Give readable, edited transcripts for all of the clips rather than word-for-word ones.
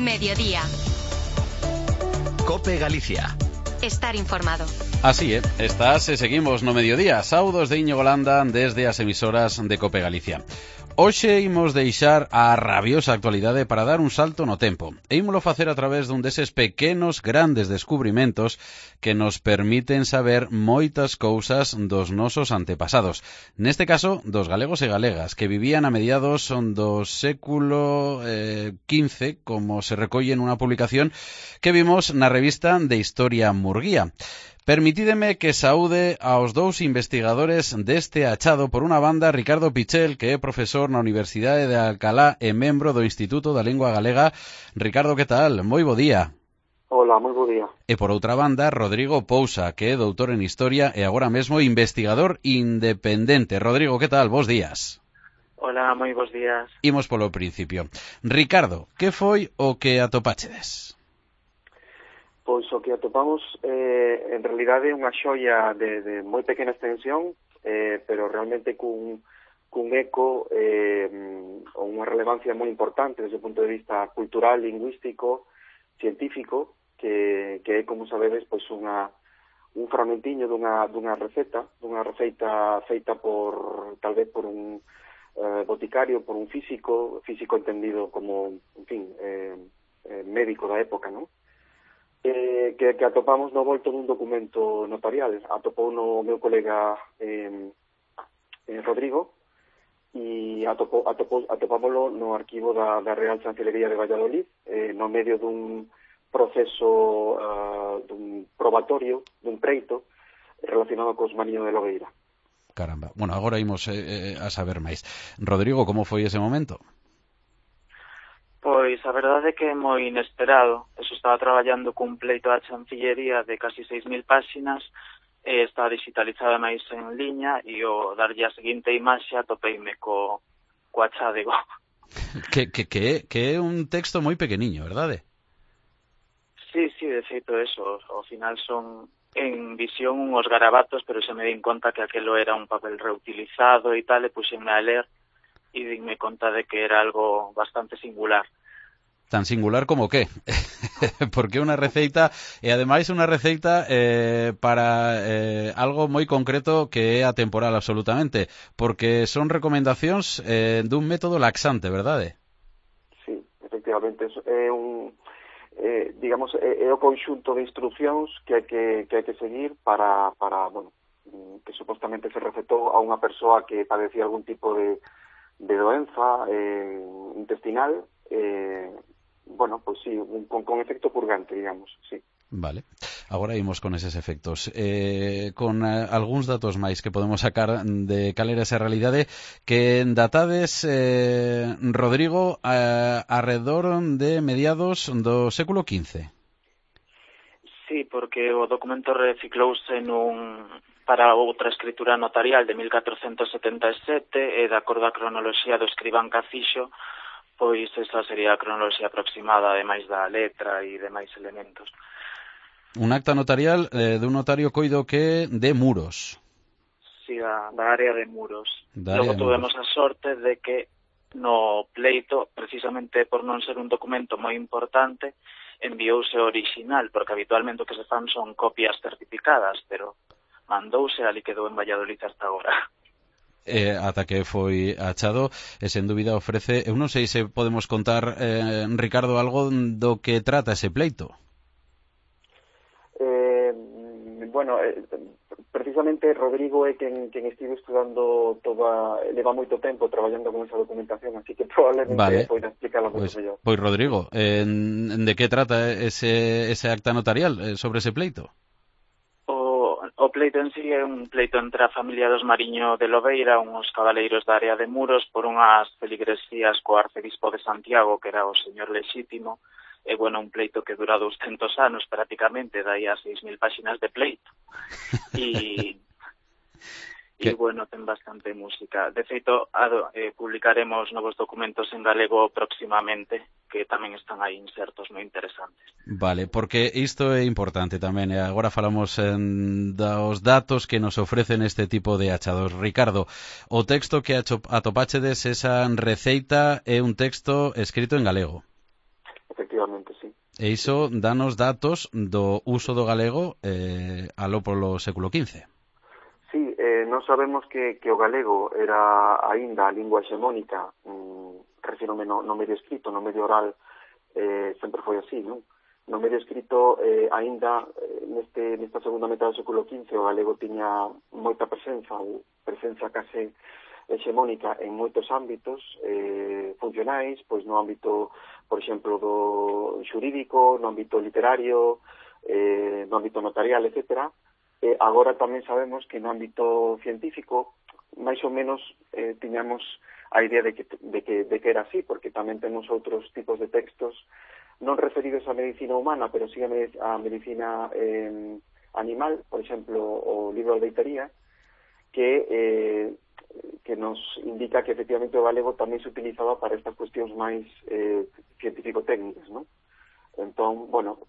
Mediodía. COPE Galicia. Estar informado. Así é, seguimos no mediodía. Saudos de Íñigo Landa desde as emisoras de COPE Galicia. Hoxe imos deixar a rabiosa actualidade para dar un salto no tempo. E ímolo facer a través dun deses pequenos grandes descubrimentos que nos permiten saber moitas cousas dos nosos antepasados. Neste caso, dos galegos e galegas que vivían a mediados do século XV, como se recolle en unha publicación que vimos na revista de Historia Murguía. Permitídeme que saúde aos dous investigadores deste achado. Por unha banda, Ricardo Pichel, que é profesor na Universidade de Alcalá e membro do Instituto da Lingua Galega. Ricardo, que tal? Moi bo día. Hola, moi bo día. E por outra banda, Rodrigo Pousa, que é doutor en Historia e agora mesmo investigador independente. Rodrigo, que tal? Bos días. Hola, moi bos días. Imos polo principio. Ricardo, que foi o que atopáchedes? Pois o que atopamos en realidade é unha xoia de moi pequena extensión, pero realmente cun eco ou unha relevancia moi importante desde o punto de vista cultural, lingüístico, científico, que é, como sabedes, pois un fragmentiño dunha receita feita por, tal vez, por un boticario, por un físico entendido como, en fin, médico da época, non? Que atopamos no volto dun documento notarial. Atopou no meu colega Rodrigo e atopámoslo no arquivo da Real Chancelería de Valladolid, no medio dun proceso dun probatorio, dun preito relacionado cos Mariño de Lobeira. Caramba. Bueno, agora imos a saber máis. Rodrigo, como foi ese momento? Pois a verdade é que é moi inesperado. Eso, estaba traballando cun pleito da Chancillería de casi 6.000 páxinas, está digitalizada máis en liña, e o darlle a seguinte imaxe atopeime co achádego. Que é un texto moi pequeniño, verdade? Sí, de feito eso. Ao final son en visión unhos garabatos, pero se me din conta que aquelo era un papel reutilizado e tal, e puxenme a ler e dinme conta de que era algo bastante singular. Tan singular como que? Porque unha receita, e ademais unha receita para algo moi concreto que é atemporal absolutamente, porque son recomendacións dun método laxante, verdade? Sí, efectivamente, é un digamos, é o conxunto de instruccións que hai que seguir para bueno, que supostamente se recetou a unha persoa que padecía algún tipo de doenza intestinal, bueno, pues sí, con efecto purgante, digamos, sí. Vale, agora imos con eses efectos. Con algúns datos máis que podemos sacar de cal era esa realidade, que datades, Rodrigo, arredor de mediados do século XV. Sí, porque o documento reciclouse para outra escritura notarial de 1477 e de acordo á cronoloxía do escribán Cacixo, pois esa sería a cronoloxía aproximada, ademais da letra e demais elementos. Un acta notarial dun notario coido que de Muros. Sí, da área de Muros. Logo tuvemos a sorte de que no pleito, precisamente por non ser un documento moi importante, enviouse o original, porque habitualmente o que se fan son copias certificadas, pero mandouse, ali quedou en Valladolid hasta agora. Ata que foi achado, e sen dúbida ofrece... Eu non sei se podemos contar, Ricardo, algo do que trata ese pleito. Bueno, precisamente Rodrigo é quen estivo estudando leva moito tempo traballando con esa documentación, así que probablemente poida explicarlo moito mellor. Pois Rodrigo, de que trata ese acta notarial sobre ese pleito? O pleito en sí é un pleito entre a familia dos Mariño de Lobeira, uns cabaleiros da área de Muros, por unhas feligresías co arcebispo de Santiago, que era o señor lexítimo. E, bueno, un pleito que dura 200 anos prácticamente, dai a 6.000 páxinas de pleito. E bueno, ten bastante música. De feito, publicaremos novos documentos en galego próximamente, que tamén están aí insertos moi interesantes. Vale, porque isto é importante tamén, e agora falamos dos datos que nos ofrecen este tipo de achados. Ricardo, o texto que atopáchedes, esa receita, é un texto escrito en galego. efectivamente, sí. E iso danos datos do uso do galego aló polo século XV. Sí, non sabemos que o galego era aínda a lingua hexemónica, refírome no medio escrito, no medio oral, sempre foi así, non? No medio escrito, aínda nesta segunda metade do século XV, o galego tiña moita presenza, ou presenza case hexemónica en moitos ámbitos funcionais, pois no ámbito, por exemplo, do xurídico, no ámbito literario, no ámbito notarial, etcétera. Agora tamén sabemos que no ámbito científico, máis ou menos tiñamos a idea de que era así, porque tamén temos outros tipos de textos non referidos á medicina humana, pero sí a medicina animal, por exemplo, o libro de Deitería, que nos indica que efectivamente o galego tamén se utilizaba para estas cuestións máis científico-técnicas, non? Entón, bueno,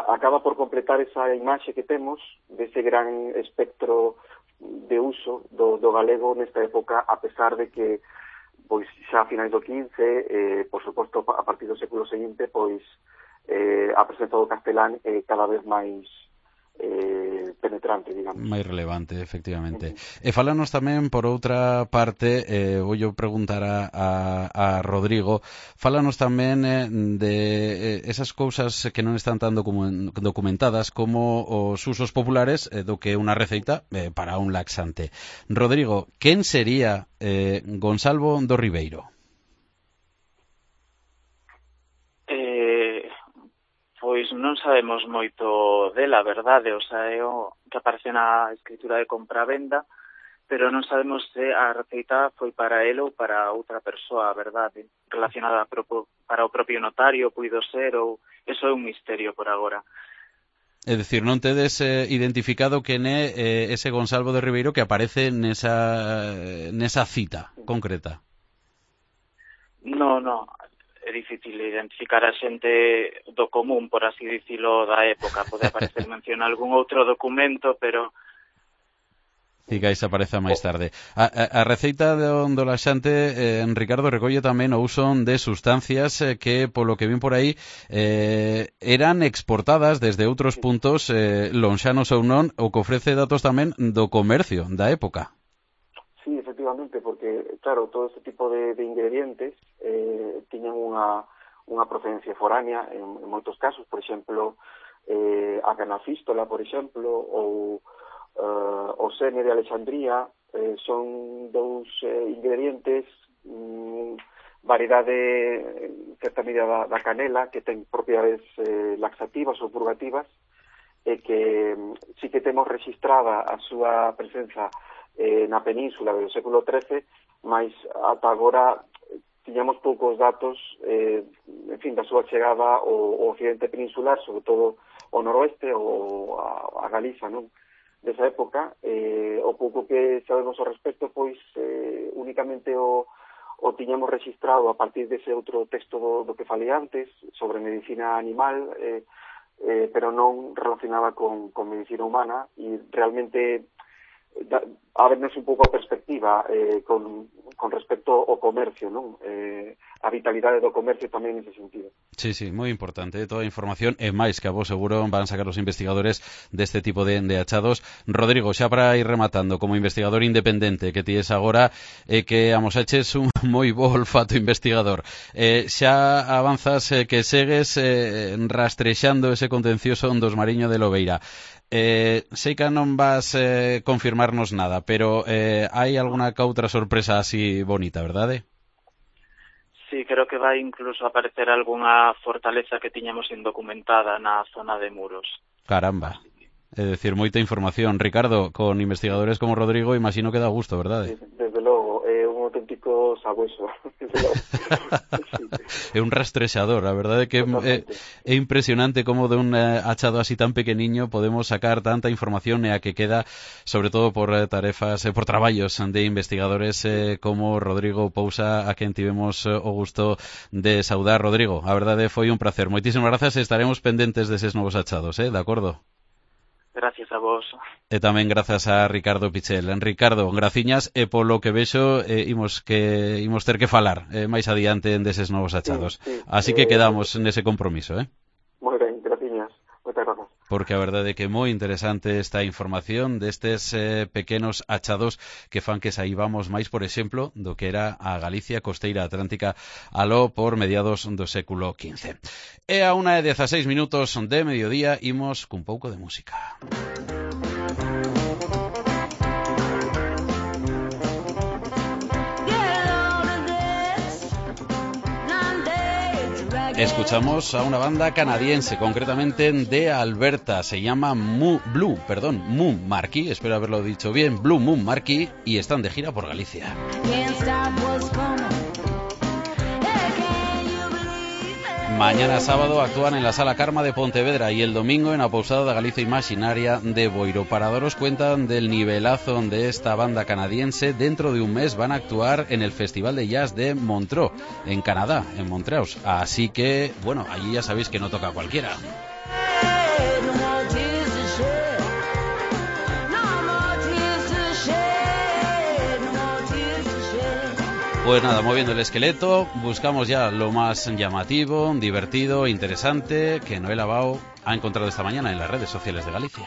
acaba por completar esa imaxe que temos dese gran espectro de uso do galego nesta época, a pesar de que pois xa a finais do XV, por suposto a partir do século seguinte, pois a presenza do castelán cada vez máis penetrante, digamos. Máis relevante, efectivamente. E falanos tamén, por outra parte, voulle preguntar a Rodrigo, falanos tamén de esas cousas que non están tan documentadas como os usos populares do que unha receita para un laxante. Rodrigo, quen sería Gonsalvo do Ribeiro? Pois non sabemos moito dela, verdade, o sea, é o que aparece na escritura de compra-venda, pero non sabemos se a receita foi para ele ou para outra persoa, verdade, relacionada para o propio notario, puido ser, ou eso é un misterio por agora. É dicir, non tedes identificado quen é ese Gonsalvo de Ribeiro que aparece nesa cita concreta? No, é difícil identificar a xente do común, por así dicilo, da época. Pode aparecer mención algún outro documento, pero... Cigais aparece máis tarde. A receita do laxante, Ricardo, recolle tamén o uso de sustancias que, polo que vin por aí, eran exportadas desde outros puntos lonxanos ou non, o que ofrece datos tamén do comercio da época. Sí, efectivamente, porque, claro, todo este tipo de ingredientes tiñan unha procedencia foránea en moitos casos, por exemplo, a canafístola, por exemplo, ou o seme de Alexandría, son dous ingredientes, variedade, en certa medida, da canela, que ten propiedades laxativas ou purgativas, e que sí que temos registrada a súa presenza na península do século XIII, mas ata agora tiñamos poucos datos en fin, da súa chegada ao occidente peninsular, sobre todo ao noroeste ou a Galiza, non? Desa época, o pouco que sabemos ao respecto, pois únicamente o tiñamos registrado a partir dese outro texto do que falei antes, sobre medicina animal, pero non relacionada con medicina humana, e realmente a vernos un pouco a perspectiva con respecto ao comercio, non? A vitalidade do comercio tamén nese sentido. Sí, moi importante, toda a información e máis que a vos seguro van sacar os investigadores deste tipo de achados. Rodrigo, xa para ir rematando, como investigador independente que ti es agora, que amosaches un moi bo olfato investigador, xa avanzas que segues rastrexando ese contencioso dos Mariño de Lobeira. Sei que non vas confirmarnos nada, pero hai alguna outra sorpresa así bonita, verdade? Sí, creo que vai incluso aparecer algunha fortaleza que tiñamos indocumentada na zona de Muros. Caramba, é dicir, moita información. Ricardo, con investigadores como Rodrigo, imagino que dá gusto, verdade? Desde logo, é un auténtico sabueso. É un rastrexador, a verdade que é impresionante como de un achado así tan pequeniño podemos sacar tanta información e a que queda, sobre todo por tarefas, por traballos de investigadores como Rodrigo Pousa, a quen tivemos o gusto de saudar. Rodrigo, a verdade foi un placer. Moitísimas grazas e estaremos pendentes deses novos achados, de acordo? Gracias a vos. E tamén grazas a Ricardo Pichel. Ricardo, graciñas, e polo que vexo imos ter que falar máis adiante deses novos achados. Sí. Así que quedamos nese compromiso, Moi ben, graciñas. Moitas grazas. Porque a verdade é que é moi interesante esta información destes pequenos achados que fan que saibamos máis, por exemplo, do que era a Galicia costeira atlántica aló por mediados do século XV. E a 1:16 de mediodía imos cun pouco de música. Escuchamos a una banda canadiense, concretamente de Alberta, se llama Blue Moon Marquee, espero haberlo dicho bien, Blue Moon Marquee, y están de gira por Galicia. Mañana sábado actúan en la Sala Carma de Pontevedra y el domingo en la Pousada de Galicia Imaginaria de Boiro. Para daros cuenta del nivelazo de esta banda canadiense, dentro de un mes van a actuar en el Festival de Jazz de Montreux, en Canadá, en Montreal. Así que, bueno, allí ya sabéis que no toca cualquiera. Pues nada, moviendo el esqueleto, buscamos ya lo más llamativo, divertido, interesante, que Noel Abao ha encontrado esta mañana en las redes sociales de Galicia.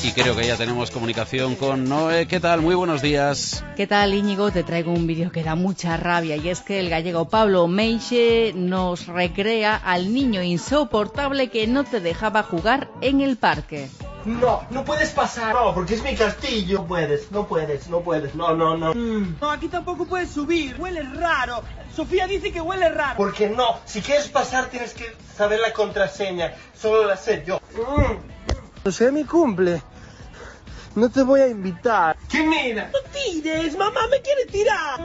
Y creo que ya tenemos comunicación con Noé. ¿Qué tal? Muy buenos días. ¿Qué tal, Íñigo? Te traigo un vídeo que da mucha rabia, y es que el gallego Pablo Meixe nos recrea al niño insoportable que no te dejaba jugar en el parque. No, no puedes pasar. No, porque es mi castillo. No puedes. No. No, aquí tampoco puedes subir. Huele raro. Sofía dice que huele raro. Porque no. Si quieres pasar tienes que saber la contraseña. Solo la sé yo. No sé, mi cumple. No te voy a invitar. ¿Qué mira? No tires, mamá me quiere tirar.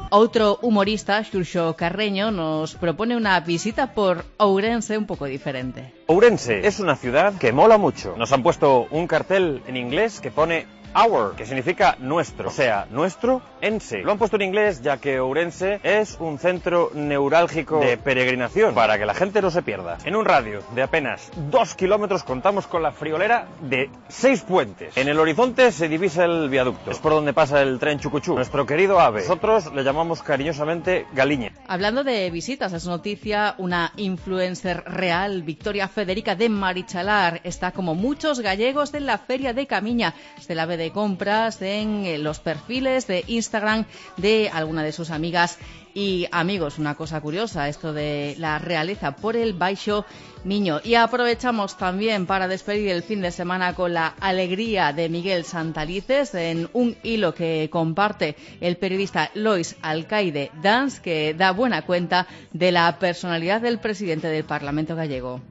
Otro humorista, Xurxo Carreño, nos propone una visita por Ourense un poco diferente. Ourense es una ciudad que mola mucho. Nos han puesto un cartel en inglés que pone Our, que significa nuestro, o sea, nuestro ense. Lo han puesto en inglés ya que Ourense es un centro neurálgico de peregrinación para que la gente no se pierda. En un radio de apenas 2 kilómetros contamos con la friolera de 6 puentes. En el horizonte se divisa el viaducto, es por donde pasa el tren Chucuchú, nuestro querido ave. Nosotros le llamamos cariñosamente Galiña. Hablando de visitas, es noticia una influencer real, Victoria Federica de Marichalar, está como muchos gallegos en la Feria de Camiña. Se la ve de compras en los perfiles de Instagram de alguna de sus amigas y amigos. Una cosa curiosa, esto de la realeza por el Baixo Miño. Y aprovechamos también para despedir el fin de semana con la alegría de Miguel Santalices en un hilo que comparte el periodista Lois Alcaide Dans, que da buena cuenta de la personalidad del presidente del Parlamento gallego.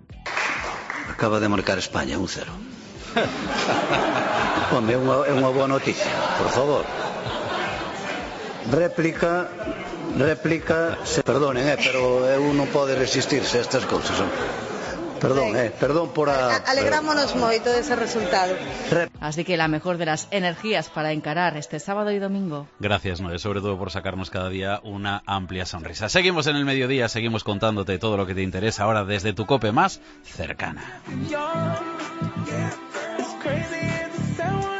Acaba de marcar España 1-0. Home, é unha boa noticia, por favor. Réplica, perdonen, pero eu non pode resistirse a estas cousas. Perdón por a... Alegrámonos moito dese resultado. Así que la mejor de las energías para encarar este sábado y domingo. Gracias, Noé, sobre todo por sacarnos cada día una amplia sonrisa. Seguimos en el mediodía, seguimos contándote todo lo que te interesa ahora desde tu cope más cercana. Crazy, it's so